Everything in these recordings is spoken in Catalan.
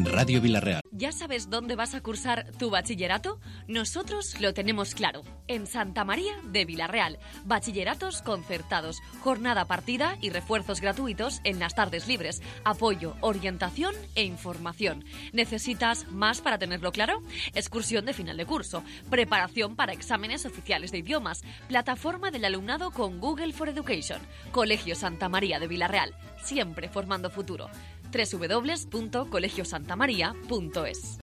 Radio Villarreal. ¿Ya sabes dónde vas a cursar tu bachillerato? Nosotros lo tenemos claro. En Santa María de Villarreal. Bachilleratos concertados, jornada partida y refuerzos gratuitos en las tardes libres. Apoyo, orientación e información. ¿Necesitas más para tenerlo claro? Excursión de final de curso. Preparación para exámenes oficiales de idiomas. Plataforma del alumnado con Google for Education. Colegio Santa María de Villarreal. Siempre formando futuro. www.colegiosantamaria.es.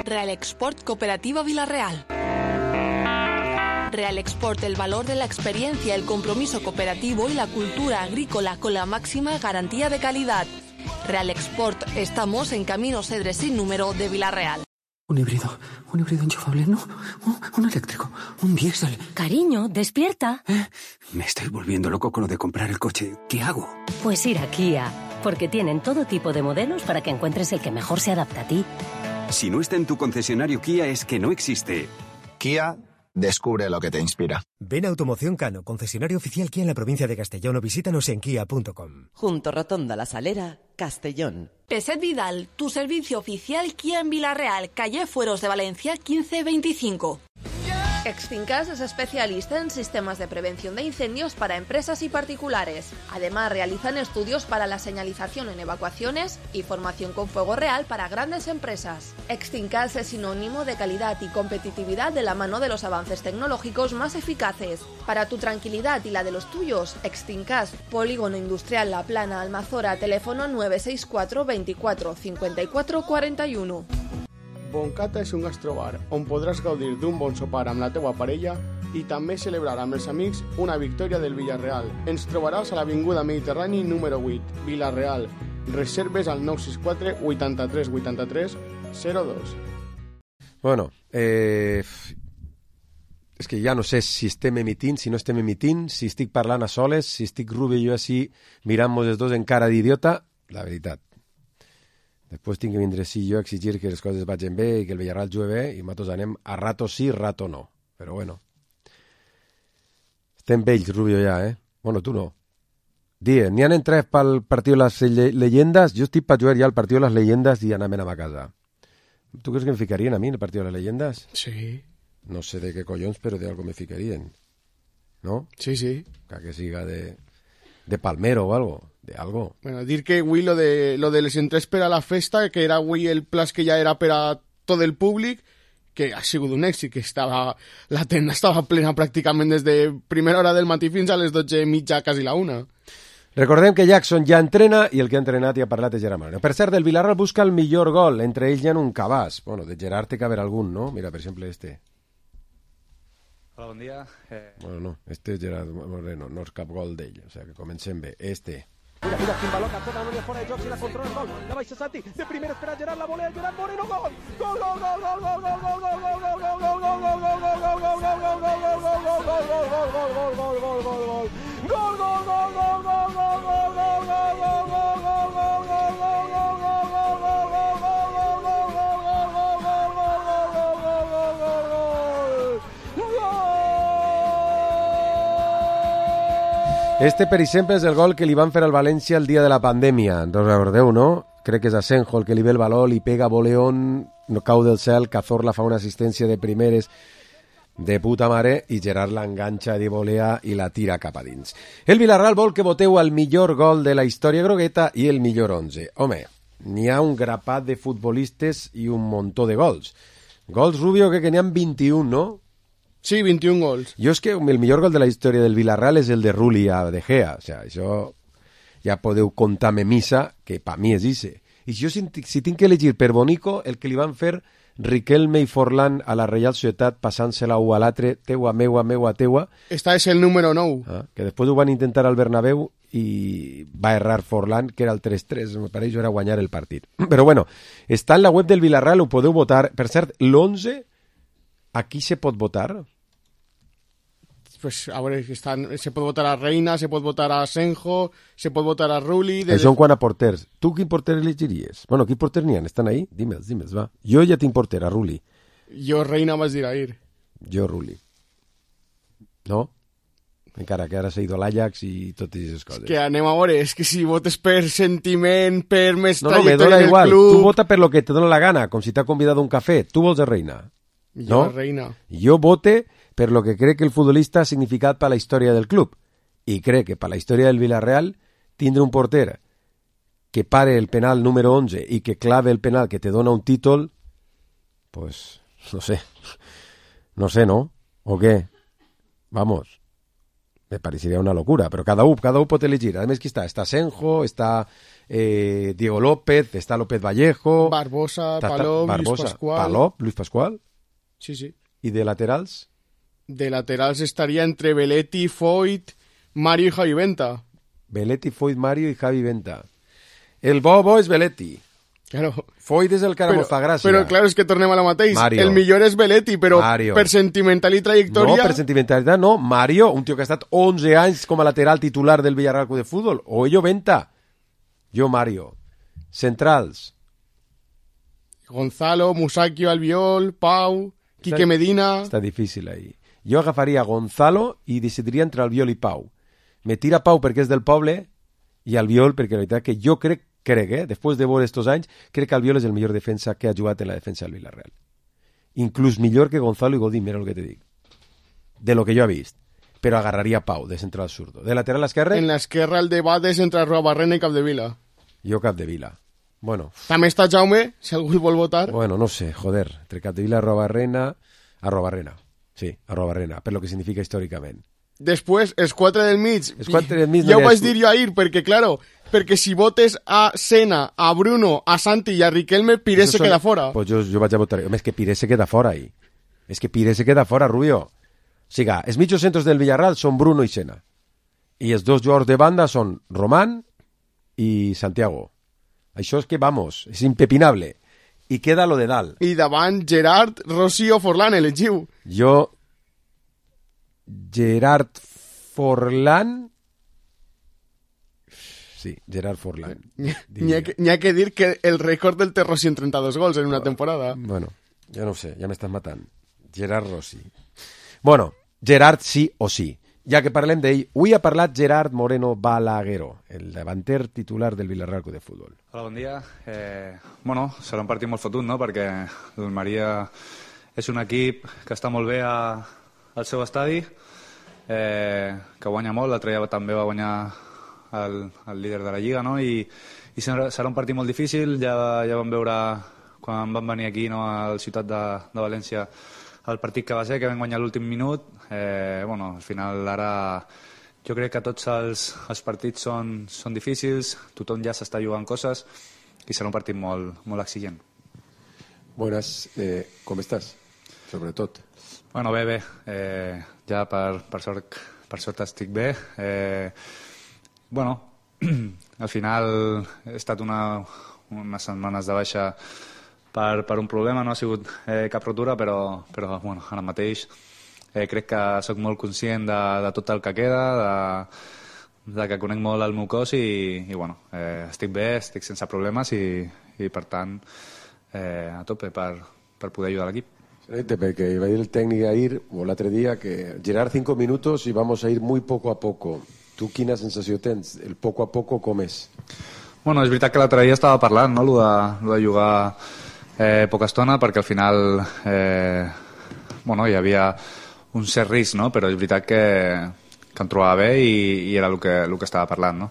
Real Export Cooperativa Villarreal. Real Export, el valor de la experiencia, el compromiso cooperativo y la cultura agrícola con la máxima garantía de calidad. Real Export, estamos en Camino Cedres sin número de Villarreal. Un híbrido enchufable, no, un eléctrico, un diésel. Cariño, despierta. Me estoy volviendo loco con lo de comprar el coche. ¿Qué hago? Pues ir a Kia, porque tienen todo tipo de modelos para que encuentres el que mejor se adapta a ti. Si no está en tu concesionario Kia es que no existe. Kia, descubre lo que te inspira. Ven a Automoción Cano, concesionario oficial Kia en la provincia de Castellón, o visítanos en kia.com. Junto Rotonda La Salera, Castellón. Peset Vidal, tu servicio oficial Kia en Villarreal, calle Fueros de Valencia 1525. Extincas es especialista en sistemas de prevención de incendios para empresas y particulares. Además, realizan estudios para la señalización en evacuaciones y formación con fuego real para grandes empresas. Extincas es sinónimo de calidad y competitividad de la mano de los avances tecnológicos más eficaces. Para tu tranquilidad y la de los tuyos, Extincas, Polígono Industrial La Plana, Almazora, teléfono 964 24 54 41. Boncata és un gastrobar on podràs gaudir d'un bon sopar amb la teua parella i també celebrar amb els amics una victòria del Villarreal. Ens trobaràs a l'Avinguda Mediterrani número 8, Villarreal. Reserves al 964 83 83 02. Bueno, és que ja no sé si estem emitint, si no estem emitint, si estic parlant a soles, si estic Rubio i jo així mirant-nos els dos en cara d'idiota. La veritat. Després tinc que vindre sí jo a exigir que les coses vagin bé i que el Villarreal jugui bé i nosaltres anem a rato sí, rato no. Però bueno. Estem vells, Rubio, ja, eh? Bueno, tu no. Die, n'hi han entrat pel partit de les leyendes? Jo estic per jugar ja al partit de les leyendes i anàvem a casa. Tu creus que em ficarien a mi en el partit de les leyendes? Sí. No sé de què collons, però de algo me ficarien. ¿No? Sí, sí. Que siga de Palmero o algo. De algo. Bueno, dir que avui lo de les entrés per a la festa, que era avui el pla que ja era per a tot el públic, que ha sigut un èxit, que la tenda estava plena pràcticament des de primera hora del matí fins a les 12:30, quasi la 1. Recordem que Jackson ja entrena i el que ha entrenat i ha parlat és Gerard Moreno. Per cert, el Villarreal busca el millor gol, entre ells hi ha un cabàs. Bueno, de Gerard té que haver algun, no? Mira, per exemple, este. Hola, bon dia. Bueno, no, este és Gerard Moreno, no és cap gol d'ell, o sigui que comencem bé. Este. Mira, quin baló, capta la línia fora de joc, si la controla el gol, la baixa Santi, de primera espera Gerard, la volea Gerard Moreno, gol! Gol, gol, gol, gol, gol, gol, gol, gol, gol, gol, gol, gol, gol, gol, gol, Este, per exemple, és el gol que li van fer al València el dia de la pandèmia. No recordeu, no? Crec que és Asenjo el que li ve el baló, li pega Boleón, no cau del cel, Cazorla fa una assistència de primeres de puta mare i Gerard l'enganxa de volea i la tira cap a dins. El Villarreal vol que voteu el millor gol de la història grogueta i el millor 11. Home, n'hi ha un grapat de futbolistes i un muntó de gols. Gols, Rubio, que n'hi ha 21, no? Sí, 21 gols. Jo és que el millor gol de la història del Villarreal és el de Rulli a De Gea. O sigui, això ja podeu contar-me missa, que per mi és ixe. I si tinc que elegir per bonico, el que li van fer Riquelme i Forlán a la Reial Societat passant-se-la un a l'altre, teua, meua, meua, teua. Esta és el número 9. Que després ho van intentar al Bernabéu i va errar Forlán, que era el 3-3, per això era guanyar el partit. Però bueno, està en la web del Villarreal, ho podeu votar. Per cert, l'11, aquí se pot votar? Pues a veure, se pot votar a Reina, se pot votar a Asenjo, se pot votar a Rulli... Això en quant a porters. Tu quin porter elegiries? Bueno, quin porter n'hi ha? Estan ahí? Dime'ls, va. Jo ja tinc porter, a Rulli. Jo Reina vas dir ahir. Jo Rulli. No? encara que ara s'ha ido a l'Ajax i totes aquestes coses. Que anem a veure, és que si votes per sentiment, per més me trajectòria dona del igual. club... Tu vota per lo que te dona la gana, com si t'ha convidat a un cafè. Tu vols a Reina. Jo, Reina. Jo vote per lo que crec que el futbolista ha significat per la història del club. I crec que per la història del Villarreal tindre un porter que pare el penal número 11 i que clave el penal que te dona un títol, pues, no sé. No sé, ¿no? ¿O qué? Vamos. Me parecería una locura, pero cada uno pot elegir. A més, qui està? Està Senjo, està Diego López, està López Vallejo... Barbosa, Palop, Luis Pascual... Palop, Luis Pascual? Sí, sí. I de laterals? De laterals estaria entre Belletti, Foyt, Mario i Javi Venta. Belletti, Foyt, Mario i Javi Venta. El bo és Belletti. Claro. Foyt és el que ara mos fa gràcia. Però, claro, és que tornem a la mateix. Mario. El millor és Belletti, però Mario. per sentimental i trajectòria... No, per sentimentalitat no. Mario, un tio que ha estat 11 anys com a lateral titular del Villarreal Club de Fútbol. O ello Venta. Jo Mario. Centrals. Gonzalo, Musacchio, Albiol, Pau, Quique Medina... Està difícil ahí. Jo agafaria Gonzalo i decidiria entre Albiol i Pau. Me tira Pau perquè és del poble i Albiol perquè la veritat que jo crec, després de veure estos anys, crec que Albiol és el millor defensa que ha jugat en la defensa del Villarreal. Inclús millor que Gonzalo i Godín, mira el que te dic. De lo que jo he vist. Però agarraria Pau, de central zurdo. De lateral esquerre? En l'esquerra el debat és entre Arruabarrena i Capdevila. Jo Capdevila. Bueno. També està Jaume, si algú vol votar. Bueno, no sé, joder. Entre Capdevila i Arruabarrena. Sí, Arruabarrena, per lo que significa històricament. Després, els 4 del mig. Els 4 del mig ja ho vaig dir jo ahir, perquè, claro, perquè si votes a Sena, a Bruno, a Santi i a Riquelme, Pires se queda fora. Pues jo vaig a votar. Home, és que Pires se queda fora ahí. És que Pires se queda fora, Rubio. O sigui, els mitjos centros del Villarreal són Bruno i Sena. I els dos jugadors de banda són Román i Santiago. Això és que, vamos, és impepinable. I queda lo de dalt. I davant Gerard, Rossi o Forlán, elegiu. Jo... Gerard Forlán... Sí, Gerard Forlán. N'hi ha que dir que el rècord del té Rossi en 32 gols en una temporada. Bueno, ja no ho sé, ja m'estàs matant. Gerard Rossi. Bueno, Gerard sí o sí. Ja que parlem d'ell, avui ha parlat Gerard Moreno Balaguero, el davanter titular del Villarreal Club de Futbol. Hola, bon dia. Bueno, serà un partit molt fotut, no?, perquè l'Almeria és un equip que està molt bé al seu estadi, que guanya molt, l'altre dia també va guanyar el líder de la Lliga, no?, i serà un partit molt difícil. Ja vam veure quan van venir aquí, no?, a la ciutat de València, el partit que va ser, que vam guanyar l'últim minut. Bueno, al final ara jo crec que tots els partits són difícils, tothom ja s'està jugant coses i serà un partit molt exigent. Buenas, com estàs? Sobretot. Bueno, bé. Ja per sort estic bé. Bueno, al final he estat unes setmanes de baixa per un problema, no ha sigut cap rotura, però bueno, ara mateix crec que sóc molt conscient de tot el que queda, de que conec molt el meu cos i bueno, estic bé, estic sense problemes i per tant a tope per poder ayudar al equipo. Porque iba a ir el técnico a ir, o l'altre dia, que Gerard 5 minutos y vamos a ir muy poco a poco. Tu quina sensació tens? El poco a poco com és? Bueno, és veritat que l'altre dia estava parlant, no?, lo de jugar poca estona, perquè al final bueno, hi havia un cert risc, no?, però és veritat que em trobava bé i era el que estava parlant, no?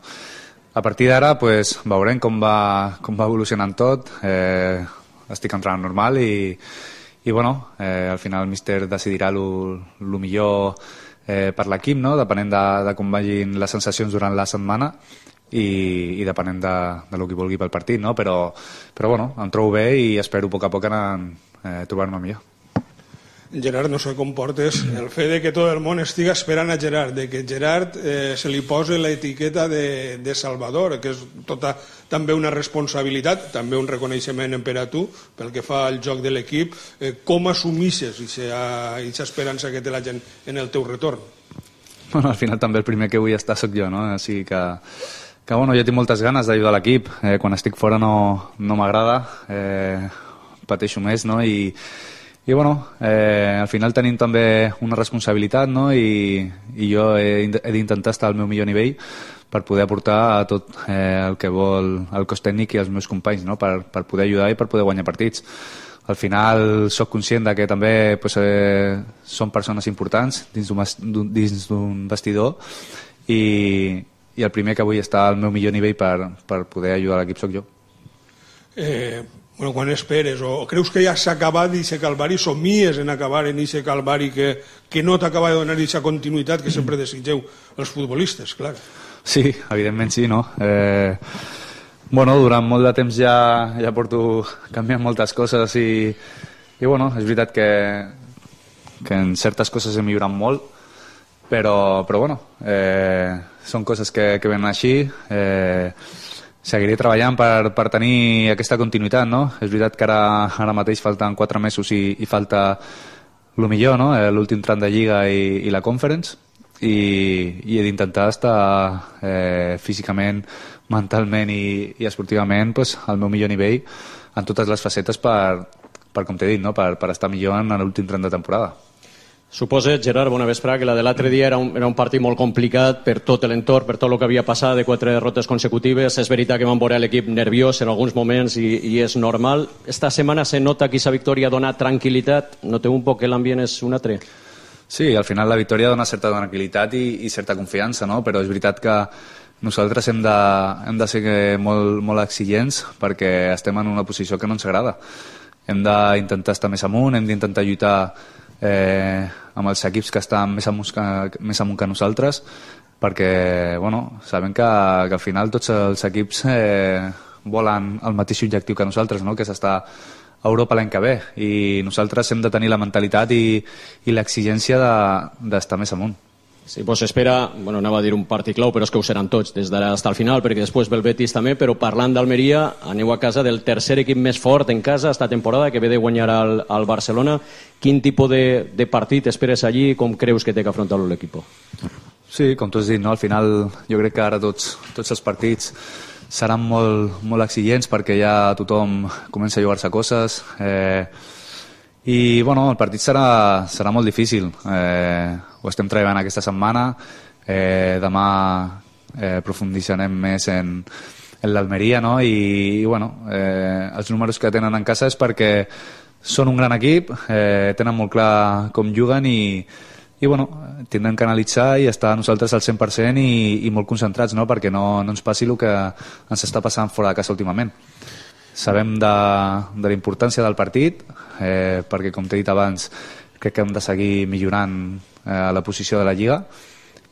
A partir d'ara pues, veurem com va evolucionant tot. Estic entrant normal i bueno, al final el míster decidirà el millor per l'equip, no?, depenent de com vagin les sensacions durant la setmana i depenent de lo que vulgui pel partit, no? Però bueno, em trobo bé i espero a poc a poc anar trobant-me millor. Gerard, no sé com portes el fet de que tot el món estiga esperant a Gerard, de que Gerard se li posi l'etiqueta de Salvador, que és tota també una responsabilitat, també un reconeixement per a tu, pel que fa al joc de l'equip. Com assumixes aquesta esperança que té la gent en el teu retorn? Bueno, al final també el primer que vull estar soc jo, no? Així que bueno, jo tinc moltes ganes d'ajudar l'equip. Quan estic fora no m'agrada, pateixo més, no? I I bueno, al final tenim també una responsabilitat, no? I jo he d'intentar estar al meu millor nivell per poder aportar tot el que vol el cos tècnic i els meus companys, no? Per poder ajudar i per poder guanyar partits. Al final sóc conscient de que també són persones importants dins d'un vestidor i el primer que vull estar al meu millor nivell per poder ajudar l'equip sóc jo. Quan esperes, o creus que ja s'ha acabat aquest calvari, somies en acabar en aquest calvari que no t'acaba de donar aquesta continuïtat que sempre desitgeu els futbolistes, clar. Sí, evidentment sí, no? Durant molt de temps ja porto canviant moltes coses i és veritat que en certes coses he millorat molt, però són coses que venen així. Seguiré treballant per tenir aquesta continuïtat, no? És veritat que ara mateix falten 4 mesos i falta el millor, no? L'últim tram de Lliga i la Conference, i he d'intentar estar físicament, mentalment i esportivament al meu millor nivell en totes les facetes per com t'he dit, no? Per estar millor en l'últim tram de temporada. Suposa, Gerard, bona vesprada, que la de l'altre dia era un partit molt complicat per tot l'entorn, per tot el que havia passat, de 4 derrotes consecutives. És veritat que vam veure l'equip nerviós en alguns moments i és normal. Esta setmana se nota que aquesta victòria dona tranquil·litat. Noteu un poc que l'ambient és un altre? Sí, al final la victòria dona certa tranquil·litat i certa confiança, no? Però és veritat que nosaltres hem de ser molt exigents perquè estem en una posició que no ens agrada. Hem d'intentar estar més amunt, hem d'intentar lluitar amb els equips que estan més amunt que nosaltres, perquè sabem que al final tots els equips volen el mateix objectiu que nosaltres, no? Que és estar a Europa l'any que ve, i nosaltres hem de tenir la mentalitat i l'exigència d'estar més amunt. Sí, doncs espera, anava a dir un partit clau, però és que ho seran tots, des d'ara fins al final, perquè després ve el Betis també, però parlant d'Almeria, aneu a casa del tercer equip més fort en casa esta temporada, que ve de guanyar al Barcelona. Quin tipus de partit esperes allí i com creus que té que afrontar l'equip? Sí, com tu has dit, no? Al final jo crec que ara tots els partits seran molt exigents perquè ja tothom comença a jugar-se coses, i el partit serà molt difícil. Ho estem treballant aquesta setmana, demà profunditzarem més en l'Almeria, no? I els números que tenen en casa és perquè són un gran equip, tenen molt clar com juguen i tindrem que analitzar i estar nosaltres al 100% i molt concentrats, no? Perquè no ens passi el que ens està passant fora de casa últimament. Sabem de la importància del partit, perquè com t'he dit abans crec que hem de seguir millorant la posició de la Lliga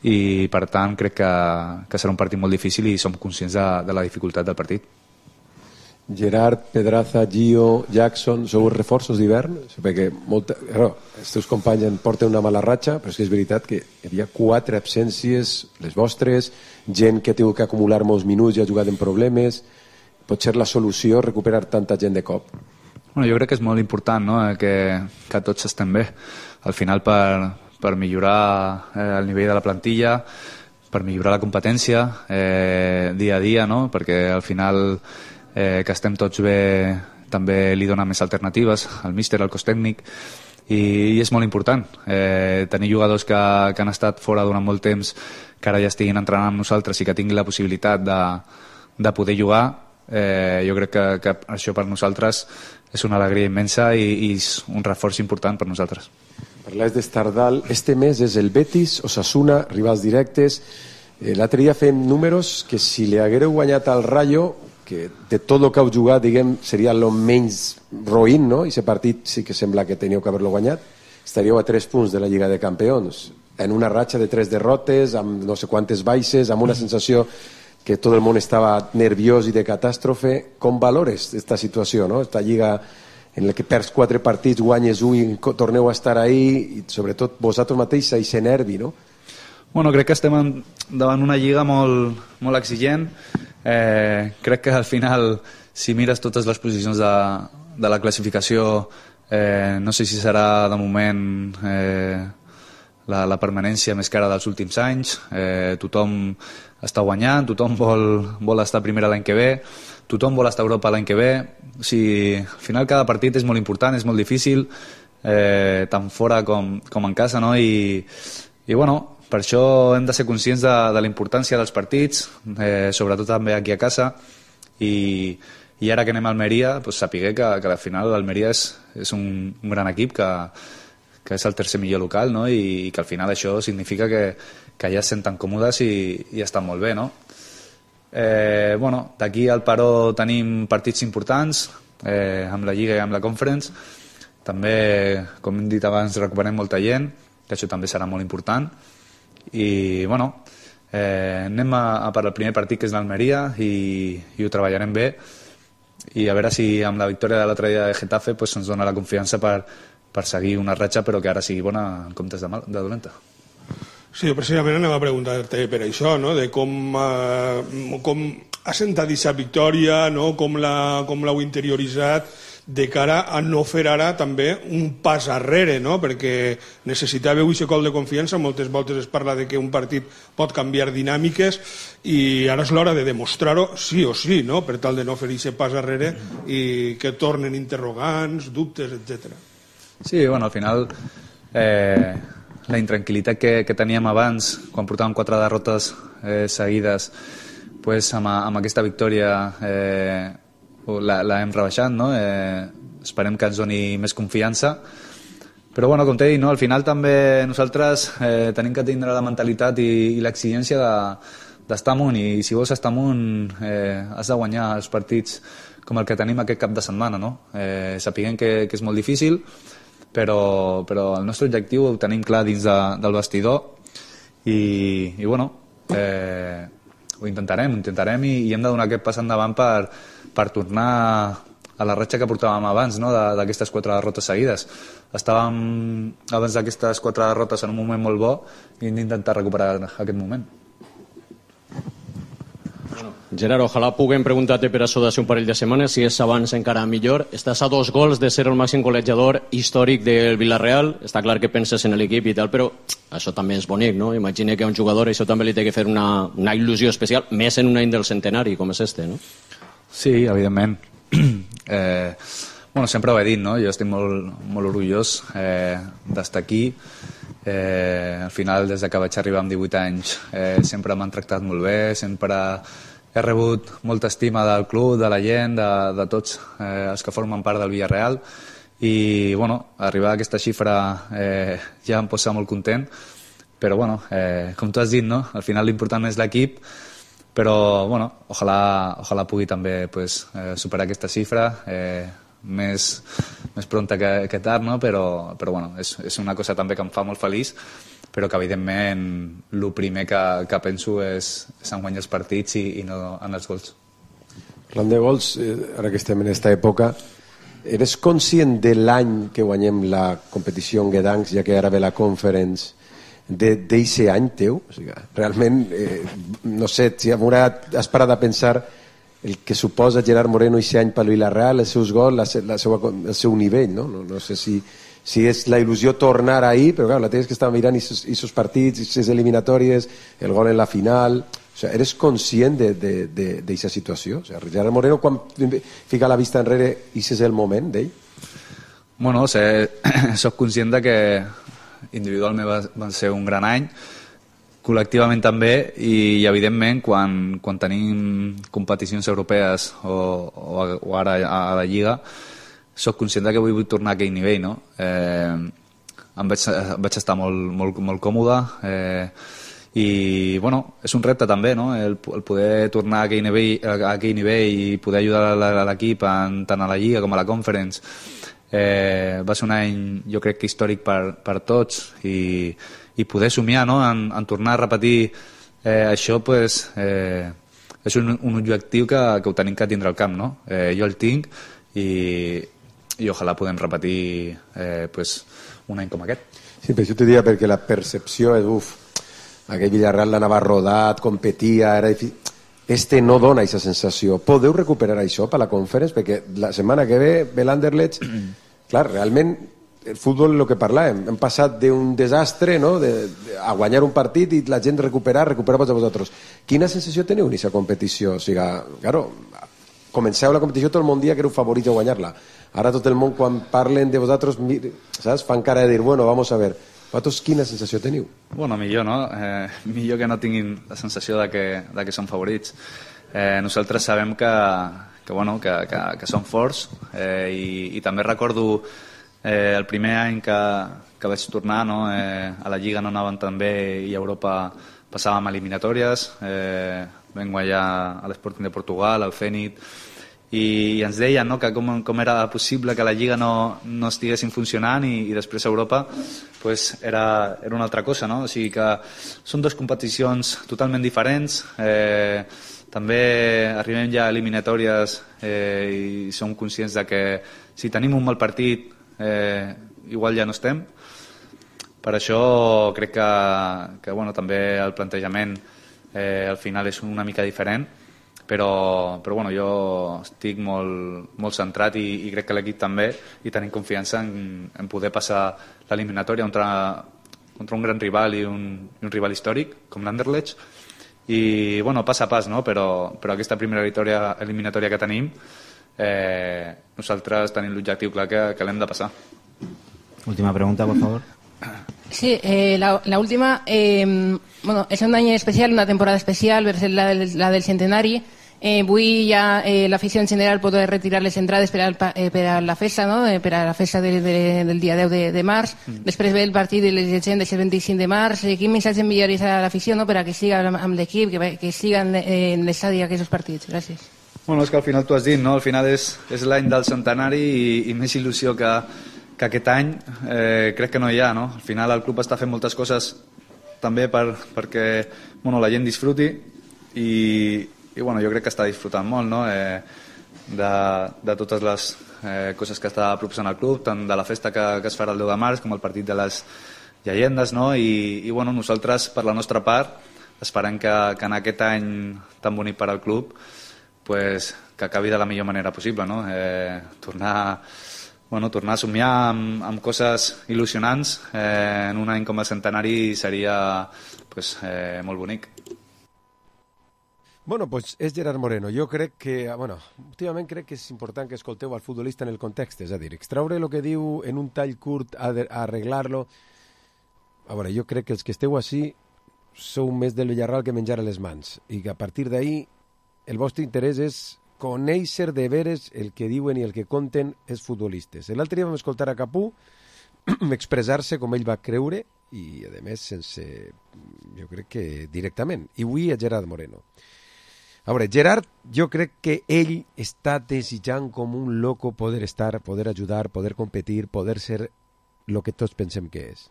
i per tant crec que serà un partit molt difícil i som conscients de la dificultat del partit. Gerard, Pedraza, Gio, Jackson, sou reforços d'hivern? Perquè els teus companys en porten una mala ratxa, però és veritat que hi havia 4 absències, les vostres, gent que ha tingut que acumular molts minuts i ha jugat en problemes. Pot ser la solució recuperar tanta gent de cop? Jo crec que és molt important, no? que tots estem bé. Al final per millorar el nivell de la plantilla, per millorar la competència dia a dia, no? Perquè al final que estem tots bé també li dona més alternatives al míster, al cos tècnic, i és molt important tenir jugadors que han estat fora durant molt temps, que ara ja estiguin entrenant amb nosaltres i que tinguin la possibilitat de poder jugar. Jo crec que això per nosaltres és una alegria immensa i és un reforç important per nosaltres. Parlaves d'Estardal, este mes és el Betis, Osasuna, rivals directes. L'altre dia fem números que si li haguéreu guanyat al Rayo, que de tot el que heu jugat, diguem, seria el menys roïn, no? I aquest partit sí que sembla que teníeu que haver-lo guanyat. Estaríeu a 3 punts de la Lliga de Campions, en una ratxa de 3 derrotes, amb no sé quantes baixes, amb una sensació que tot el món estava nerviós i de catàstrofe. Com valores aquesta situació, no? Esta lliga en la que perds 4 partits, guanyes 1 i torneu a estar ahí, i sobretot vosaltres mateix aquest nervi, no? Crec que estem davant una lliga molt exigent. Crec que al final, si mires totes les posicions de la classificació, no sé si serà de moment la permanència més cara dels últims anys. Tothom està guanyant, tothom vol estar primera l'any que ve, tothom vol estar a Europa l'any que ve. O sigui, al final cada partit és molt important, és molt difícil, tant fora com en casa, no? I bueno, per això hem de ser conscients de la importància dels partits, sobretot també aquí a casa, i ara que anem a Almeria, pues, sapiguer que al final l'Almeria és un gran equip, que és el tercer millor local, no? I que al final això significa que ja es senten còmodes i estan molt bé, no? Bueno, d'aquí al Paró tenim partits importants, amb la Lliga i amb la Conference. També, com hem dit abans, recuperem molta gent, que això també serà molt important. I, bueno, anem a per al primer partit, que és l'Almeria, i ho treballarem bé. I a veure si amb la victòria de l'altre dia de Getafe pues, ens dona la confiança per seguir una ratxa, però que ara sigui bona en comptes de dolenta. Sí, precisament anem a preguntar-te per això, no? De com ha sentat aquesta victòria, no? Com l'heu interioritzat de cara a no fer ara també un pas arrere, no? Perquè necessitàveu aquest col de confiança. Moltes voltes es parla de que un partit pot canviar dinàmiques i ara és l'hora de demostrar-ho sí o sí, no? Per tal de no fer aquest pas arrere i que tornen interrogants, dubtes, etc. Sí, bueno, al final la intranquil·litat que teníem abans, quan portàvem 4 derrotes seguides, pues, amb aquesta victòria la hem rebaixat, no? Esperem que ens doni més confiança, però bueno, com t'he dit, no? Al final també nosaltres tenim que tindre la mentalitat i l'exigència d'estar amunt, i si vols estar amunt has de guanyar els partits com el que tenim aquest cap de setmana, no? Sapiguem que és molt difícil, però el nostre objectiu ho tenim clar dins del vestidor i bueno, ho intentarem i hem de donar aquest pas endavant per tornar a la ratxa que portàvem abans, no? D'aquestes 4 derrotes seguides. Estàvem abans d'aquestes 4 derrotes en un moment molt bo i hem d'intentar recuperar aquest moment. Gerard, ojalà puguem preguntar-te per això d'ací un parell de setmanes, si és abans encara millor. Estàs a 2 gols de ser el màxim golejador històric del Villarreal. Està clar que penses en l'equip i tal, però això també és bonic, no? Imagina que a un jugador això també li té que fer una il·lusió especial, més en un any del centenari, com és este, no? Sí, evidentment. Bueno, sempre ho he dit, no? Jo estic molt orgullós d'estar aquí. Al final, des que vaig arribar amb 18 anys, sempre m'han tractat molt bé, sempre he rebut molta estima del club, de la gent, de tots els que formen part del Villarreal, i bueno, arribar a aquesta xifra ja em posa molt content, però bueno, com tu has dit, no? Al final l'important és l'equip, però bueno, ojalà pugui també pues, superar aquesta xifra més pronta que tard, no? Però bueno, és una cosa també que em fa molt feliç, però que evidentment el primer que penso és en guanyar els partits i no en els gols. Parlant de gols, ara que estem en aquesta època, eres conscient de l'any que guanyem la competició en Gdansk, ja que ara ve la Conference, d'eixe any teu? O sigui, realment, no sé, si has parat a pensar el que suposa Gerard Moreno eixe any per Villarreal, els seus gols, el seu nivell, no? No sé si és la il·lusió tornar ahí, però clar, la tens que estar mirant aquests partits, aquestes eliminatòries, el gol en la final. O sigui, eres conscient d'aquesta situació? O sigui, Gerard Moreno, quan fica la vista enrere, aquest és el moment d'ell? Bueno, soc conscient de que individualment va ser un gran any, col·lectivament també, i evidentment quan tenim competicions europees o ara a la Lliga, soc conscient que vull tornar a aquell nivell, no? Vaig estar molt còmode i bueno, és un repte també, no? El poder tornar a aquell nivell i poder ajudar l'equip tant a la Lliga com a la Conference. Va ser un any, jo crec que històric per tots, i poder somiar, no? en tornar a repetir això, pues, és un objectiu que ho tenim que tindre al camp, no? Jo el tinc i ojalà podem repetir pues, un any com aquest. Sí, però això t'ho diria perquè la percepció és aquell Villarreal l'anava rodat, competia, era difícil. Este no dona aquesta sensació. Podeu recuperar això per la Conference? Perquè la setmana que ve l'Anderlecht, clar, realment el futbol, el que parlàvem, hem passat d'un desastre, no? A guanyar un partit i la gent recuperar-vos a vosaltres. Quina sensació teniu en aquesta competició? O sigui, claro, comenceu la competició tot el món dia que éreu favorits a guanyar-la. Ara tot el món, quan parlen de vosaltres, saps? Fan cara de dir, bueno, vamos a ver. Vosaltres quina sensació teniu? Bueno, millor, no? Millor que no tinguin la sensació de que són favorits. Nosaltres sabem que són forts i també recordo el primer any que vaig tornar, no? A la Lliga no anaven tan bé i a Europa passàvem eliminatòries, vam guanyar a l'Sporting de Portugal, al Zenit, i ens deien, no, que com era possible que la Lliga no estiguessin funcionant i després a Europa pues, era una altra cosa, no? O sigui que són dues competicions totalment diferents, també arribem ja a eliminatòries i som conscients de que si tenim un mal partit igual ja no estem. Per això crec que bueno, també el plantejament al final és una mica diferent, però bueno, jo estic molt centrat i crec que l'equip també, i tenim confiança en poder passar l'eliminatòria contra un gran rival i un rival històric com l'Anderlecht, i bueno, pas a pas, no? Però aquesta primera eliminatòria que tenim, nosaltres tenim l'objectiu clar que l'hem de passar. Última pregunta, por favor. Sí, la última, bueno, es un año especial, una temporada especial, versus la del centenari. Avui ja l'afició en general pot retirar les entrades per a la festa, no? Per a la festa del dia 10 de març. Després ve el partit de les llegendes el 25 de març. Quin missatge enviaries a l'afició, no? Per a que siga amb l'equip, que siga en l'estadi aquests partits? Gràcies. Bueno, és que al final tu has dit, no? Al final és l'any del centenari i més il·lusió que aquest any crec que no hi ha, no? Al final el club està fent moltes coses també perquè bueno, la gent disfruti i bueno, jo crec que està disfrutant molt, no? De totes les coses que està proposant el club, tant de la festa que es farà el 10 de març com el partit de les llegendes, no? I bueno, nosaltres per la nostra part esperem que en aquest any tan bonic per al club pues, que acabi de la millor manera possible, no? Tornar a somiar amb coses il·lusionants en un any com el centenari seria pues, molt bonic. Bueno, pues és Gerard Moreno. Jo crec que, bueno, últimament crec que és important que escolteu al futbolista en el context, és a dir, extraure el que diu en un tall curt, arreglar-lo. A veure, jo crec que els que esteu així sou més del Villarreal que menjar a les mans i que a partir d'ahí el vostre interès és conèixer de veres el que diuen i el que conten els futbolistes. L'altre dia vam escoltar a Capú expressar-se com ell va creure i, a més, sense, jo crec que directament. I avui a Gerard Moreno. A veure, Gerard, jo crec que ell està desitjant com un loco poder estar, poder ajudar, poder competir, poder ser el que tots pensem que és.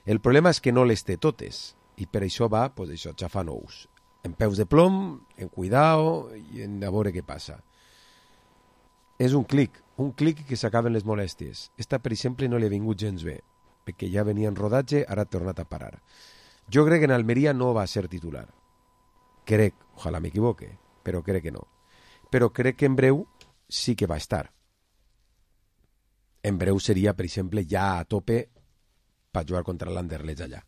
El problema és que no les té totes i per això va, pues això, xafant ous. En peus de plom, en cuidao i en a veure què passa. És un clic que s'acaben les molèsties. Esta, per exemple, no li ha vingut gens bé, perquè ja venia en rodatge, ara ha tornat a parar. Jo crec que en Almeria no va ser titular. Crec, ojalà m'equivoque, però crec que no. Però crec que en breu sí que va estar. En breu seria, per exemple, ja a tope per jugar contra l'Anderlecht allà.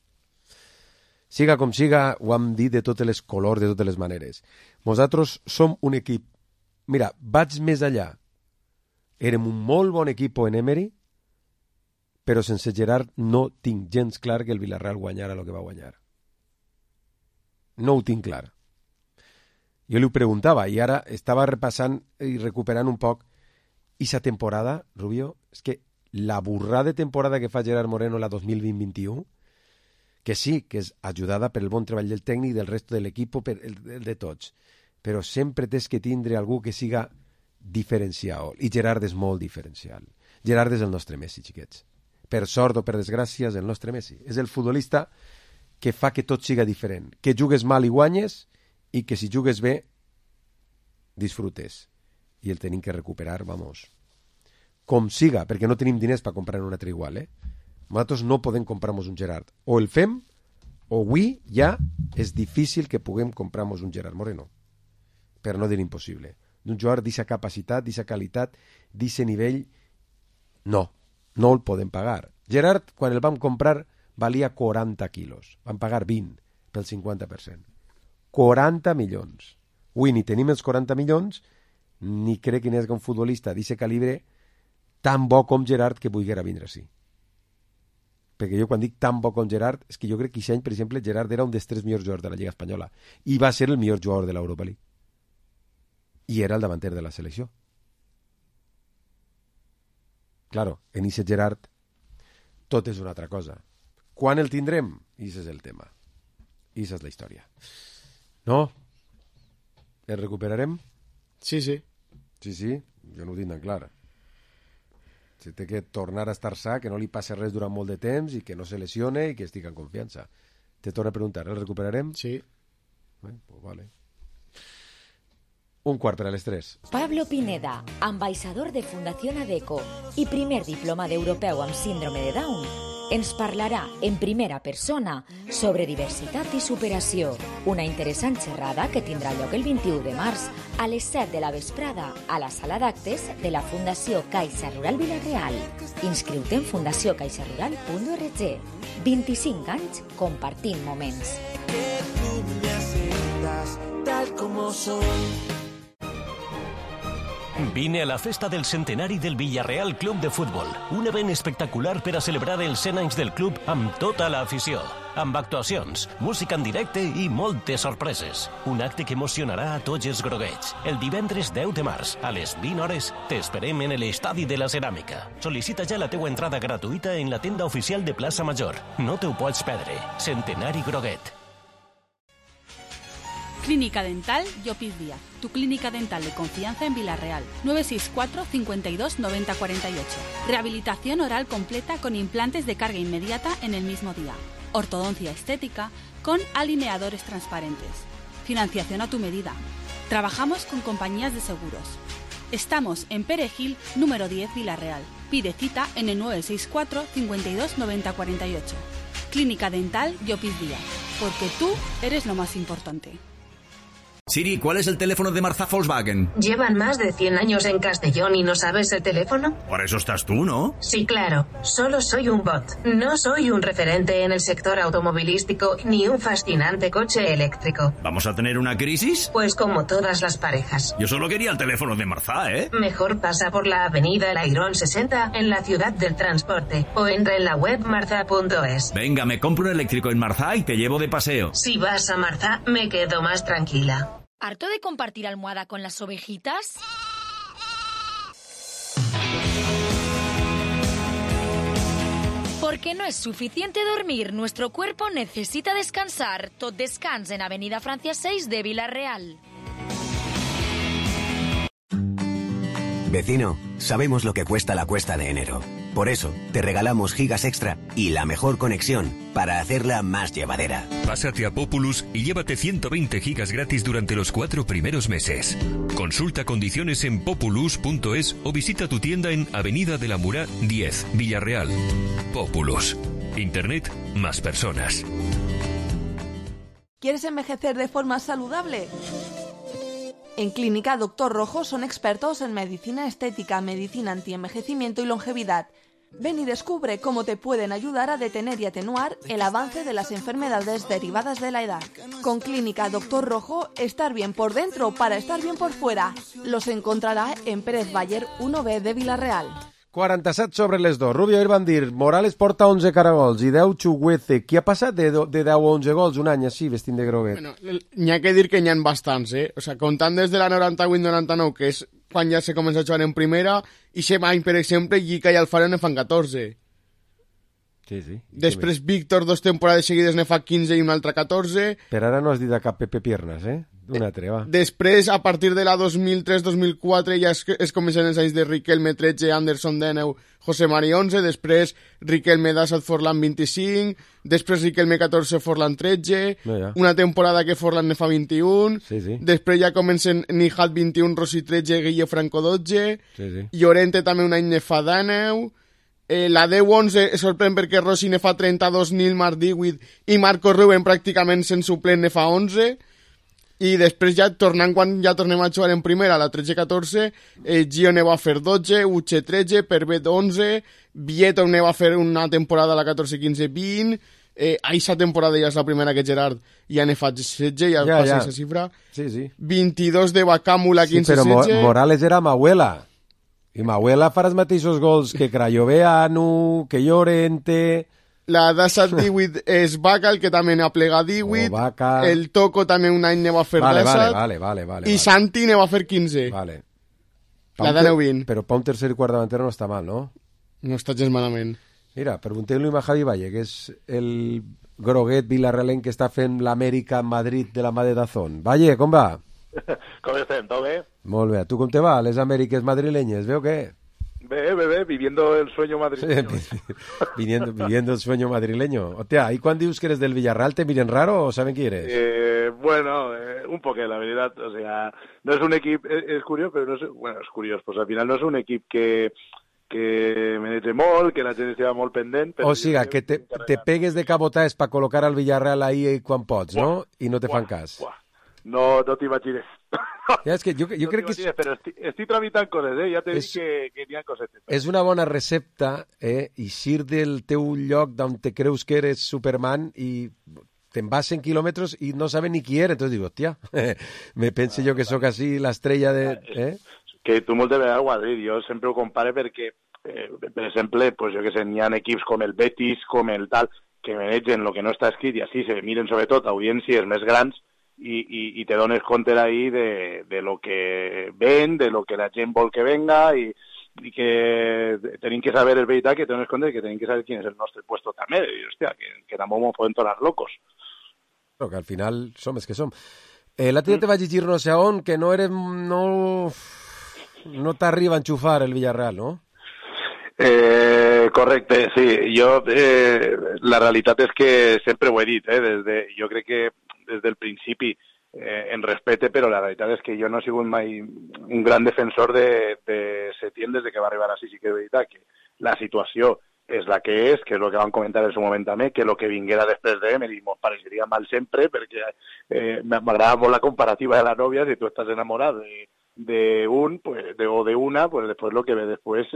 Siga com siga, ho hem dit de totes les colors, de totes les maneres. Nosaltres som un equip. Mira, vaig més allà. Érem un molt bon equip en Emery, però sense Gerard no tinc gens clar que el Villarreal guanyara el que va guanyar. No ho tinc clar. Jo li ho preguntava i ara estava repassant i recuperant un poc. I sa temporada, Rubio, és que la burrada de temporada que fa Gerard Moreno la 2020-21, que sí, que és ajudada per el bon treball del tècnic, del resto de l'equip, per el de tots, però sempre tens que tindre algú que siga diferencial, i Gerard és molt diferencial. Gerard és el nostre Messi, xiquets. Per sort o per desgràcia és el nostre Messi. És el futbolista que fa que tot siga diferent, que jugues mal i guanyes, i que si jugues bé, disfrutes. I el tenim que recuperar, vamos, com siga, perquè no tenim diners per comprar un altre igual, Nosaltres no podem comprar-nos un Gerard. O el fem, o avui ja és difícil que puguem comprar-nos un Gerard Moreno. Per no dir impossible. D'un jugador d'aquesta capacitat, d'aquesta qualitat, d'aquest nivell, no el podem pagar. Gerard, quan el vam comprar, valia 40 quilos. Vam pagar 20 pel 50%. 40 milions. Avui ni tenim els 40 milions, ni crec que n'hi hagi un futbolista d'aquest calibre tan bo com Gerard que vulguera vindre així. Perquè jo quan dic tan bo com Gerard és que jo crec que aquest any, per exemple, Gerard era un dels 3 millors jugadors de la Lliga Espanyola i va ser el millor jugador de l'Europa League. I era el davanter de la selecció. Claro, en aquest Gerard tot és una altra cosa. Quan el tindrem? I aquest és el tema. I aquesta és la història. No? El recuperarem? Sí. Sí, jo no ho tinc tan clar. Si té que tornar a estar sa, que no li passi res durant molt de temps i que no se lesione i que estigui en confiança. Te torno a preguntar, el recuperarem? Sí. Pues vale. 2:45. Pablo Pineda, ambaixador de Fundación ADECO i primer diploma d'europeu amb síndrome de Down, ens parlarà en primera persona sobre diversitat i superació. Una interessant xerrada que tindrà lloc el 21 de març a les 7 de la vesprada a la sala d'actes de la Fundació Caixa Rural Vila-real. Inscriu-te en fundacioncaixarural.org. 25 anys compartint moments. Que tú me aceptas tal como soy. Vine a la festa del centenari del Villarreal Club de Futbol, un event espectacular per a celebrar els 100 anys del club amb tota l'afició, amb actuacions, música en directe i moltes sorpreses. Un acte que emocionarà a tots els groguets. El divendres 10 de març, a les 20 hores, t'esperem en l'Estadi de la Ceràmica. Sol·licita ja la teua entrada gratuïta en la tenda oficial de Plaça Major. No te ho pots perdre. Centenari Groguet. Clínica Dental Llopis Díaz, tu clínica dental de confianza en Vila-real. 964 52 90 48. Rehabilitación oral completa con implantes de carga inmediata en el mismo día. Ortodoncia estética con alineadores transparentes. Financiación a tu medida. Trabajamos con compañías de seguros. Estamos en Perejil, número 10, Vila-real. Pide cita en el 964 52 90 48. Clínica Dental Llopis Díaz, porque tú eres lo más importante. Siri, ¿cuál es el teléfono de Marzá Volkswagen? ¿Llevan más de 100 años en Castellón y no sabes el teléfono? Por eso estás tú, ¿no? Sí, claro. Solo soy un bot. No soy un referente en el sector automovilístico ni un fascinante coche eléctrico. ¿Vamos a tener una crisis? Pues como todas las parejas. Yo solo quería el teléfono de Marzá, ¿eh? Mejor pasa por la avenida El Airón 60 en la ciudad del transporte o entra en la web marza.es. Venga, me compro un eléctrico en Marzá y te llevo de paseo. Si vas a Marzá, me quedo más tranquila. ¿Harto de compartir almohada con las ovejitas? Porque no es suficiente dormir, nuestro cuerpo necesita descansar. Tot descans en Avenida Francia 6 de Vila-real. Vecino, sabemos lo que cuesta la cuesta de enero. Por eso, te regalamos gigas extra y la mejor conexión para hacerla más llevadera. Pásate a Populus y llévate 120 gigas gratis durante los 4 primeros meses. Consulta condiciones en populus.es o visita tu tienda en Avenida de la Murá 10, Villarreal. Populus. Internet más personas. ¿Quieres envejecer de forma saludable? En Clínica Dr. Rojo son expertos en medicina estética, medicina antienvejecimiento y longevidad. Ven y descubre cómo te pueden ayudar a detener y atenuar el avance de las enfermedades derivadas de la edad. Con Clínica Dr. Rojo, estar bien por dentro para estar bien por fuera. Los encontrará en Pérez Baller 1B de Vila-real. 47 sobre les 2. Rubio ahir van dir Morales porta 11 caragols i 10 Chuguece. Qui ha passat de 10 a 11 gols un any així vestint de groguet? Bueno, n'hi ha que dir que n'hi ha bastants, O sea, comptant des de la 98-99, que és quan ja se comença a jugar en primera, i aquest any, per exemple, Llica i Alfaro ne fan 14. Sí. Després Víctor 2 temporades seguides ne fa 15 i una altra 14. Per ara no has dit a cap Pepe Piernas, Una treva. Després, a partir de la 2003-2004, ja es comencen els anys de Riquelme 13, Anderson 19, José Mari 11, després Riquelme 17, Forlán 25, després Riquelme 14, Forlán 13, una temporada que Forlán ne fa 21, després ja comencen Nijat 21, Rossi 13, Guille Franco 12, Llorente també un any ne fa 19, la 10-11 sorprèn perquè Rossi ne fa 32, Nilmar 18 i Marco Rubén pràcticament sense suplent ne fa 11. I després ja tornant quan ja tornem a jugar en primera, la 13-14, Gio ne va fer 12, Uche 13, Pervet 11, Vieto ne va fer una temporada a la 14-15-20, Aquesta temporada ja és la primera que Gerard ja ne fa 16, ja passa aquesta xifra. Sí. 22 de Bacàmula, 15-16. Sí, però Morales era Mahuela. I Mahuela farà els mateixos gols que Crayoveanu, que Llorente... La d'Assat 18 és Vaca, el que també n'ha plegat 18. El Toco també un any ne va fer d'Assat. Vale. I Santi ne va fer 15. Vale. La de 20. Però pa un tercer i quart davantero no està mal, no? No està gens malament. Mira, preguntem-li a Javi Valle, que és el groguet vilarrealenc que està fent l'Amèrica en Madrid de la mà de Dazón. Valle, com va? Com estem? Tot bé? Molt bé. Tu com te va? Les Amèriques madrilenyes, veu què? Bé, viviendo el sueño madrileño. Sí, viviendo el sueño madrileño. Hostia, ¿y cuando dices que eres del Villarreal te miren raro o saben quién eres? Bueno, un poco, la verdad. O sea, no es un equipo, es curioso, pero no es, bueno, es curioso. Pues al final no es un equipo que menege molt, que la gent estigui molt pendent. O sigui, que te pegues de cabotajes para colocar al Villarreal ahí quan pots, no? I no te fan cas. No t'imagines. Ja, és que jo crec que... Però estic tramitant coses, ja t'he dit que n'hi ha cosetes. És una bona recepta, eixir del teu lloc d'on te creus que eres Superman i te'n vas 100 quilòmetres i no saben ni qui eres. Entonces digo, hòstia, me pense jo que sóc així l'estrella de... Que tu moltes vegades ho has dit, jo sempre ho compare perquè, per exemple, pues jo que sé, n'hi ha equips com el Betis, com el tal, que manegen el que no està escrit i així se miren sobretot audiències més grans y te dones compte ahí de lo que ven, de lo que la gent vol que venga y que tenim que saber, és veritat, que te dones compte que tenim que saber quién es el nostre puesto també, i hòstia, que tampoc ens podem tornar locos. Però que al final som els que som. L'altre dia te vaig llegir no sé on que no t'arriba a enxufar el Villarreal, no? Correcte, sí. Jo, la realitat és que sempre ho he dit, jo crec que des del principi en respecte, però la realitat és que jo no he sigut mai un gran defensor de Setién des que va arribar així. Sí que és veritat que la situació és la que és el que van comentar en su moment també, que el que vinguera després d'Emery mos pareixeria mal sempre, perquè m'agrada molt la comparativa de la nòvia, si tu estàs enamorat d'un o d'una, pues després el que ve després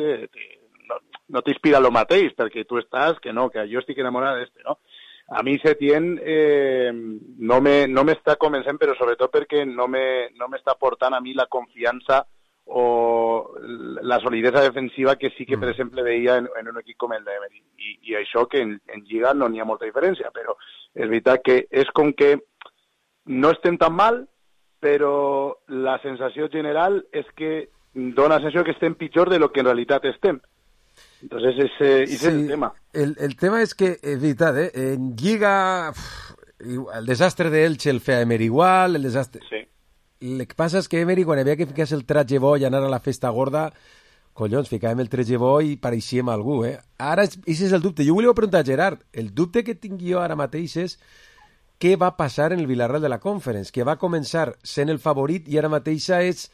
no t'inspira lo mateix, perquè tu estàs, que no, que jo estic enamorat d'este, no? A mi Setién no m'està convencent, però sobretot perquè no m'està portant a mi la confiança o la solidesa defensiva que sí que, per exemple, veia en un equip com el d'Emery. I això que en Lliga no n'hi ha molta diferència, però és veritat que és com que no estem tan mal, però la sensació general és que dona la sensació que estem pitjor de lo que en realitat estem. Entonces ese es el tema. El tema es que, es verdad, en Lliga el desastre de Elche el feia Emery igual, el desastre... Sí. El que passa és que Emery, quan havia que ficar el tratge bo i anar a la festa gorda, collons, ficàvem el tratge bo i pareixíem algú, Ara, aquest és el dubte. Jo volia preguntar a Gerard, el dubte que tinc jo ara mateix és què va passar en el Villarreal de la Conference, que va començar sent el favorit i ara mateixa és...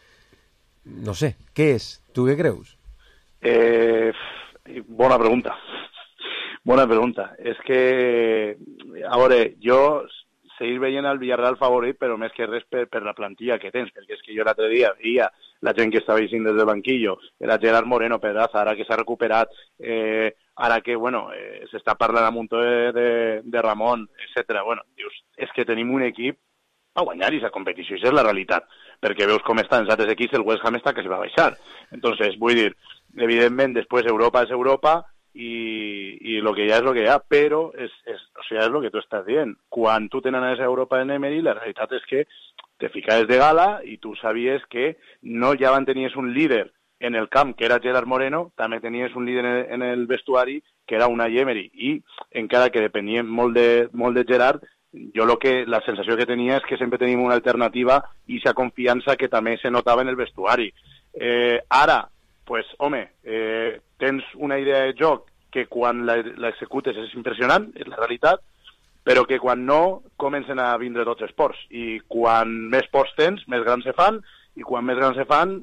No sé, què és? Tu què creus? Bona pregunta. Bona pregunta. És que, a veure, jo seguir veient el Villarreal favorit, però més que res per la plantilla que tens, perquè és que jo l'altre dia veia la gent que estava eixint des del banquillo, era Gerard Moreno, Pedraza, ara que s'ha recuperat, ara que, bueno, s'està parlant amb un to de Ramon, etc. Bueno, dius, és que tenim un equip a guanyar aquesta competició, això és la realitat, perquè veus com estan els altres equips, el West Ham està que s'hi va baixar. Entonces, vull dir, evidentment, després Europa és Europa, i lo que hi ha és lo que hi ha, però o sigui, és el que tu estàs dient. Quan tu tenies a Europa en Emery, la realitat és que te ficaves de gala i tu sabies que no ja tenies un líder en el camp, que era Gerard Moreno, també tenies un líder en el vestuari, que era Unai Emery, i encara que depenia molt de Gerard, jo la sensació que tenia és que sempre tenim una alternativa i aquesta confiança que també se notava en el vestuari. Ara, pues, home, tens una idea de joc que quan l'executes és impressionant, és la realitat, però que quan no comencen a vindre tots els ports. I quan més ports tens, més grans se fan, i quan més grans se fan,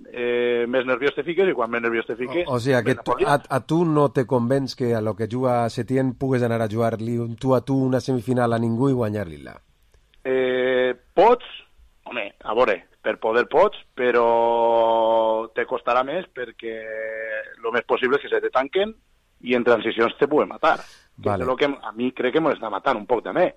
més nerviós te fiques, i quan més nerviós te fiques... O sigui, que a tu no te convenç que a lo que juga Setién pugues anar a jugar-li tu a tu una semifinal a ningú i guanyar-li-la? Pots, home, a veure, per poder pots, però te costarà més perquè el més possible és que se te tanquen i en transicions te puguen matar. Vale. És el que a mi crec que m'està matant un poc també.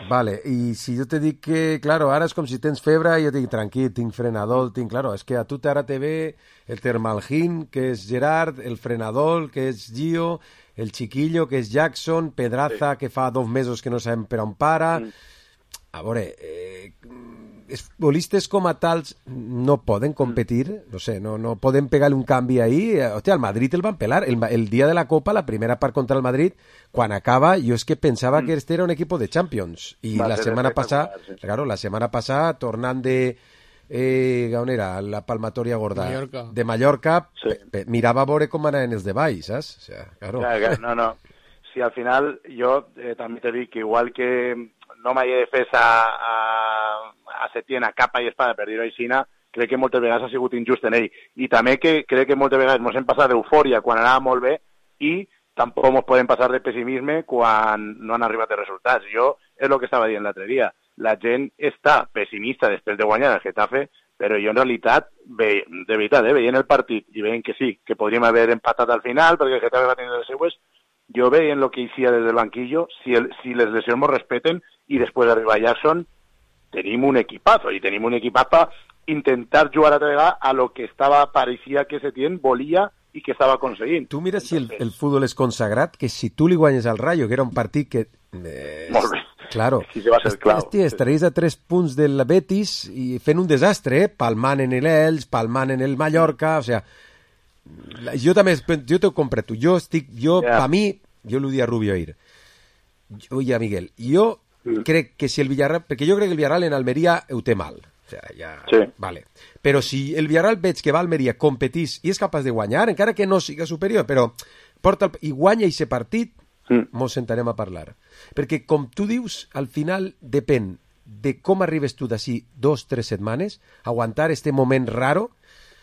Vale, i si jo te dic que, claro, ara és com si tens febre i jo dic, tranquil, tinc frenador, claro, és que a tu ara te ve el Termalgin, que és Gerard, el frenador, que és Gio, el Chiquillo, que és Jackson, Pedraza, que fa 2 mesos que no sabem per on para. A veure, els futbolistes com a tals no poden competir, no sé, no poden pegar un canvi ahí. Hòstia, al Madrid el van pelar. El dia de la Copa, la primera part contra el Madrid, quan acaba, jo és que pensava que este era un equipo de Champions. I la setmana passada, claro, la setmana passada, tornant de... on era? La palmatoria gorda. Mallorca. De Mallorca, mirava a veure com anaven els de baix, saps? O sea, claro. No. Si al final jo també te dic que igual que no m'hi he de fer a Setién a capa i espada per dir-ho així, crec que moltes vegades ha sigut injust en ell. I també que crec que moltes vegades ens hem passat d'eufòria quan anava molt bé i tampoc ens podem passar de pessimisme quan no han arribat els resultats. Jo és el que estava dient l'altre dia. La gent està pessimista després de guanyar el Getafe, però jo en realitat, de veritat, veient el partit i veient que sí, que podríem haver empatat al final perquè el Getafe va tenir les seues, jo veient el que hicía des del banquillo, si les lesions ens respeten i després d'arribar a Jackson, tenim un equipazo, i tenim un equipazo per intentar jugar altra vegada a lo que parecia que Setién volia i que estava aconseguint. Tu mira si el futbol és consagrat, que si tu li guanyes al Rayo, que era un partit que... Molt bé. Claro. Sí, va ser clau. Hòstia, estaries a 3 punts del Betis i fent un desastre, palmant en l'Elx, palmant en el Mallorca, o sea... Jo també, jo t'ho compro tu. Per mi, jo l'ho dic a Rubio ahir, i a Miguel, jo crec que si el Villarreal, perquè jo crec que el Villarreal en Almeria ho té mal, o sigui, vale. Però si el Villarreal veig que va a Almeria, competís i és capaç de guanyar, encara que no siga superior, però i guanya aquest partit, mos sentarem a parlar. Perquè, com tu dius, al final depèn de com arribes tu d'ací 2 o 3 setmanes, aguantar este moment raro,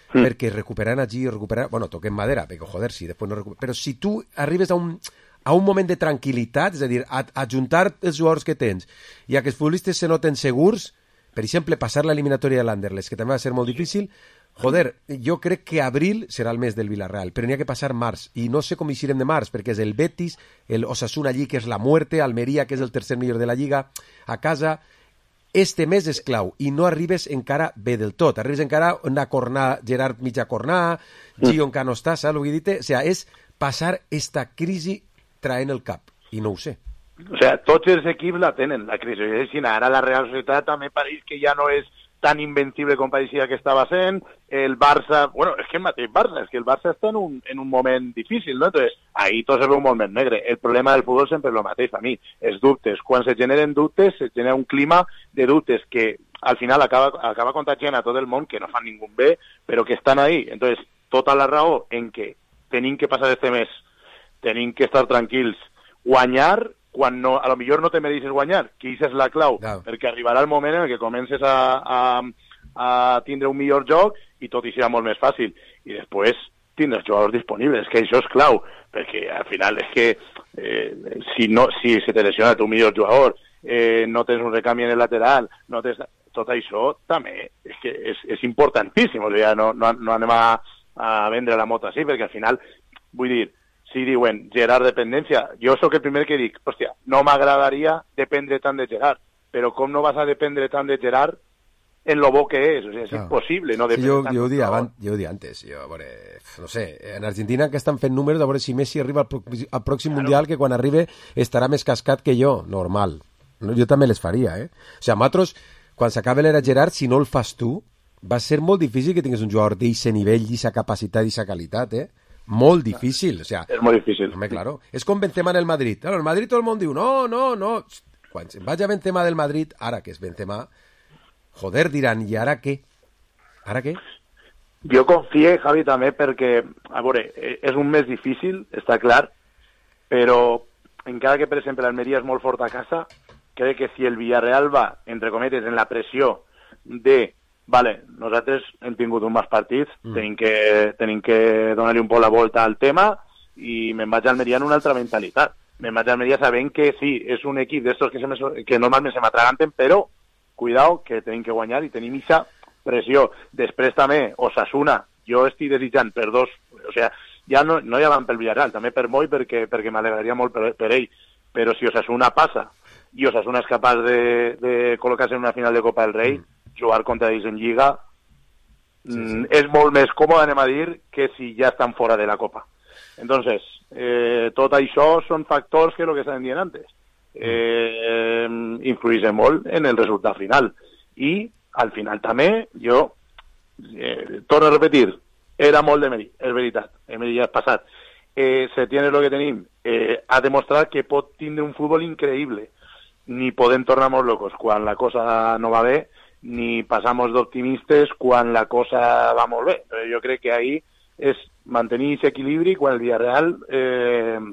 perquè recuperant allí, bueno, toquem madera, perquè joder, si després no però si tu arribes a un moment de tranquil·litat, és a dir, a juntar els jugadors que tens i a que els futbolistes se noten segurs, per exemple, passar l'eliminatòria de l'Anderlecht, que també va ser molt difícil, joder, jo crec que abril serà el mes del Villarreal, però n'hi ha que passar març, i no sé com eixirem de març, perquè és el Betis, el Osasuna allí, que és la muerte, Almeria, que és el tercer millor de la Lliga, a casa... Este mes és clau i no arribes encara bé del tot. Arribes encara una cornada, Gerard mitja cornada, Gio encara no està, saps el que he dit? O sigui, és passar esta crisi traient el cap, i no ho sé. O sigui, tots els equips la tenen, la crisi. Ara la Real Societat també pareix que ja no és tan invencible com pareixia que estava sent, el Barça, bueno, és que el mateix Barça, és que el Barça està en un moment difícil, no? Entonces, ahí tot se veu molt més negre. El problema del futbol sempre és el mateix, a mi, els dubtes. Quan se generen dubtes, se genera un clima de dubtes que al final acaba contagiant a tot el món, que no fan ningú bé, però que estan ahí. Entonces, tota la raó en que tenim que passar este mes, tenim que estar tranquils, guanyar, quan no, a lo millor no te mereixes guanyar, que això és la clau, perquè arribarà el moment en què comences a tindre un millor joc i tot hi serà molt més fàcil. I després tindre els jugadors disponibles, que això és clau, perquè al final és que si se te lesiona tu millor jugador, no tens un recanvi en el lateral, no tens... tot això també és que és importantíssim, o sigui, no anem a vendre la moto així, perquè al final, vull dir, si diuen Gerard dependència, jo sóc el primer que dic, hòstia, no m'agradaria dependre tant de Gerard, però com no vas a dependre tant de Gerard en lo bo que és? O sigui, és impossible no dependre tant. Jo ho dia antes, no sé, en Argentina que estan fent números a veure si Messi arriba al pròxim Mundial, que quan arribi estarà més cascat que jo, normal. Jo també les faria, O sigui, a nosaltres, quan s'acabe l'era Gerard, si no el fas tu, va ser molt difícil que tingués un jugador d'aquest nivell, d'aquesta capacitat, d'aquesta qualitat, Molt difícil, o sea... És molt difícil. Home, claro. És com Benzema en el Madrid. Claro, el Madrid tot el món diu, no. Quan vaig a Benzema del Madrid, ara que és Benzema, joder, diran, i ara què? Ara què? Jo confio, Javi, també, perquè, a veure, és un mes difícil, està clar, però encara que, per exemple, l'Almeria és molt fort a casa, crec que si el Villarreal va, entre cometes, en la pressió de... Vale, nosaltres hem tingut un más partits, tenim que donar-li un poc la volta al tema i me'n vaig a Almeria en una altra mentalitat. Me'n vaig a Almeria sabent que sí, és un equip d'estos que normalment se m'atraganten, però, cuidao, que tenim que guanyar i tenim aquesta pressió. Després també, Osasuna, jo estic desitjant per dos O sigui, ja no van pel Villarreal, també per Moi, perquè m'alegraria molt per ell, però si Osasuna passa i Osasuna és capaç de col·locar-se en una final de Copa del Rei, jugar contra ells en Lliga és molt més còmode, anem a dir, que si ja estan fora de la Copa. Entonces, tot això són factors que el que estaven dient antes influïssin molt en el resultat final. I, al final també, jo torno a repetir, era molt d'Emery, és veritat, Emery ja és passat. Se tiene lo que tenim, ha demostrat que pot tindre un futbol increïble. Ni podem tornar molt locos quan la cosa no va bé, ni passamos d'optimistes quan la cosa va molt bé. Jo crec que ahí és mantenir aquest equilibri quan el Villarreal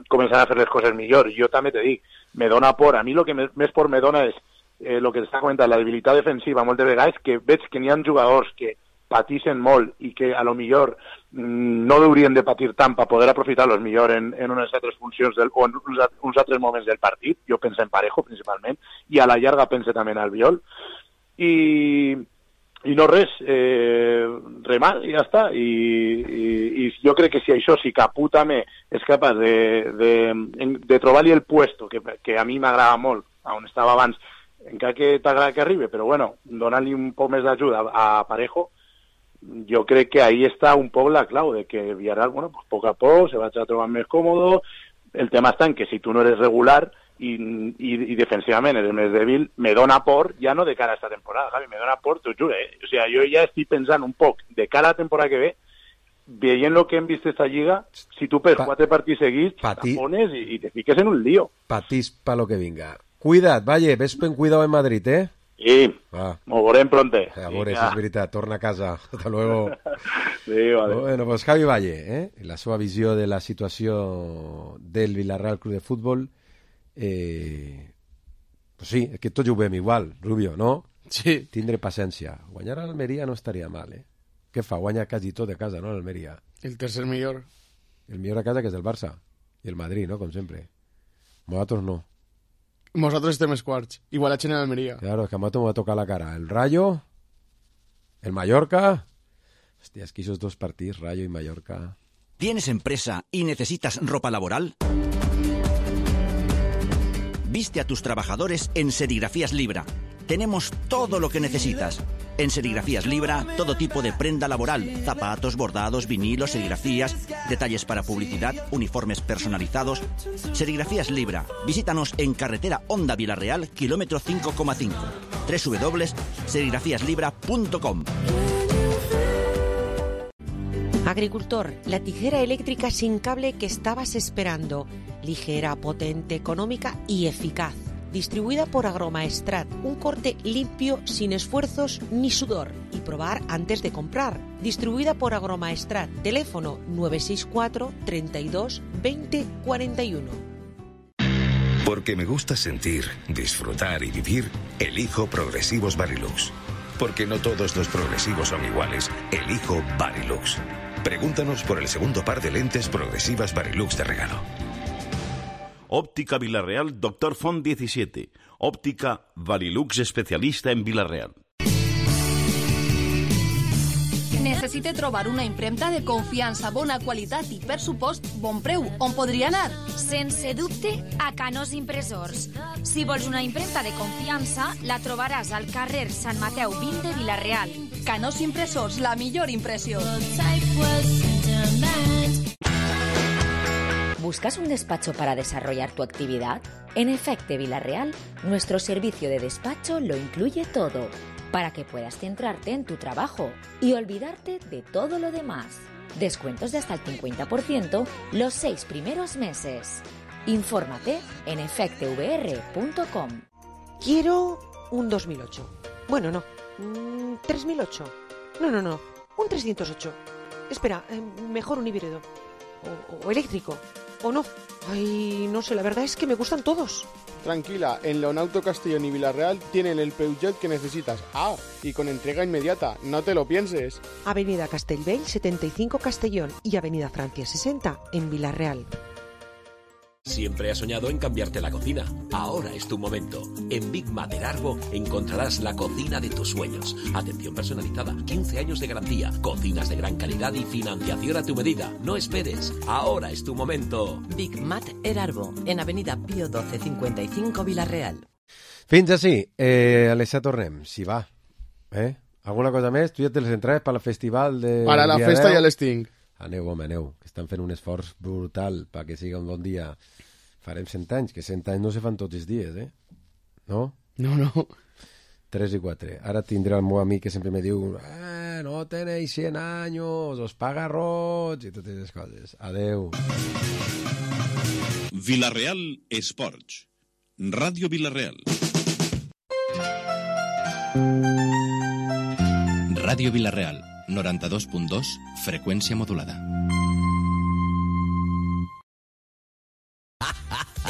començarà a fer les coses millor. Jo també te dic, me dona por, a mi el que més por me dona és el que t'està comentant, la debilitat defensiva moltes vegades, que veig que n'hi ha jugadors que patixen molt i que a lo millor no haurien de patir tant per poder aprofitar-los millor en unes altres funcions o en uns altres moments del partit. Jo penso en Parejo principalment i a la llarga penso també en Albiol i no res, remar i ja està. I jo crec que si això, si Capú també és capaç de trobar-li el puesto que a mi m'agrada molt, on estava abans, encara que t'agrada que arribi, però bueno, donant-li un poc més d'ajuda a Parejo, jo crec que ahí està un poc la clau de que Villarreal, bueno, pues poc a poc se va a trobar més còmode. El tema està en que si tu no eres regular i defensivament eres més dèbil, me dona por, ja no de cara a esta temporada, Javi, me dona por, t'ho juro, O sea, jo ja estic pensant un poc de cara a la temporada que ve, veient lo que hem vist esta lliga, si tu per 4 partits seguits te pones i te fiques en un lío. Patís pa lo que vinga. Cuida't, Valle, ves ben cuidado en Madrid, Sí, m'ho veurem pronte. A veure, si és veritat, torna a casa. Hasta luego. Sí, vale. Bueno, pues Javi Valle, la seva visió de la situació del Villarreal Club de Futbol, pues sí, és que tots ho veiem igual, Rubio, no? Sí. Tindre paciència. Guanyar a l'Almeria no estaria mal, Què fa? Guanya quasi tot de casa, no, l'Almeria? El tercer millor. El millor a casa, que és el Barça. I el Madrid, no?, com sempre. Nosaltres no. Nosaltres estem els quarts. Igualatge en Almeria. Claro, es que a Mato me va a tocar la cara. El Rayo, el Mallorca. Hostia, es que esos dos partidos, Rayo y Mallorca. ¿Tienes empresa y necesitas ropa laboral? Viste a tus trabajadores en Serigrafías Libra. Tenemos todo lo que necesitas. En Serigrafías Libra, todo tipo de prenda laboral, zapatos, bordados, vinilos, serigrafías, detalles para publicidad, uniformes personalizados. Serigrafías Libra. Visítanos en carretera Honda Villarreal, kilómetro 5,5. www.serigrafíaslibra.com. Agricultor, la tijera eléctrica sin cable que estabas esperando. Ligera, potente, económica y eficaz. Distribuida por Agromaestrat, un corte limpio, sin esfuerzos ni sudor. Y probar antes de comprar. Distribuida por Agromaestrat, teléfono 964 32 20 41. Porque me gusta sentir, disfrutar y vivir, elijo Progresivos Varilux. Porque no todos los progresivos son iguales, elijo Varilux. Pregúntanos por el segundo par de lentes progresivas Varilux de regalo. Óptica Villarreal, Dr. Font 17. Óptica Varilux, especialista en Villarreal. Necessite trobar una impremta de confiança, bona qualitat i, per supost, bon preu. On podria anar? Sense dubte, a Canós Impressors. Si vols una impremta de confiança, la trobaràs al carrer Sant Mateu 20 de Vila-real. Canós Impressors, la millor impressió. ¿Buscas un despacho para desarrollar tu actividad? En Efecte Vila-real, nuestro servicio de despacho lo incluye todo, para que puedas centrarte en tu trabajo y olvidarte de todo lo demás. Descuentos de hasta el 50% los 6 primeros meses. Infórmate en efectevr.com. Quiero un 2008. Bueno, no. 3008. No. Un 308. Espera, mejor un híbrido. O eléctrico. ¿O no? Ay, no sé, la verdad es que me gustan todos. Tranquila, en Leonauto Castellón y Villarreal tienen el Peugeot que necesitas. Ah, y con entrega inmediata, no te lo pienses. Avenida Castellbell 75 Castellón y Avenida Francia 60 en Villarreal. Siempre has soñado en cambiarte la cocina. Ahora es tu momento. En Big Mat Erarbo encontrarás la cocina de tus sueños. Atención personalizada, 15 años de garantía, cocinas de gran calidad y financiación a tu medida. No esperes. Ahora es tu momento. Big Mat Erarbo, en Avenida Pío 12 55 Vila-real. Fins així. Alessia, tornem, si va. Alguna cosa més? Tu ja té les entrades per al festival de... Para la festa ja les tinc. Aneu, home, aneu, que estan fent un esforç brutal perquè siga un bon dia. Farem 100 anys, que 100 anys no se fan tots els dies, No? No. 3 i 4. Ara tindré el meu amic que sempre me diu no tenéis 100 años, os paga roig, i totes les coses. Adeu. Vila-real Esports. Ràdio Vila-real. Ràdio Vila-real, 92.2, freqüència modulada.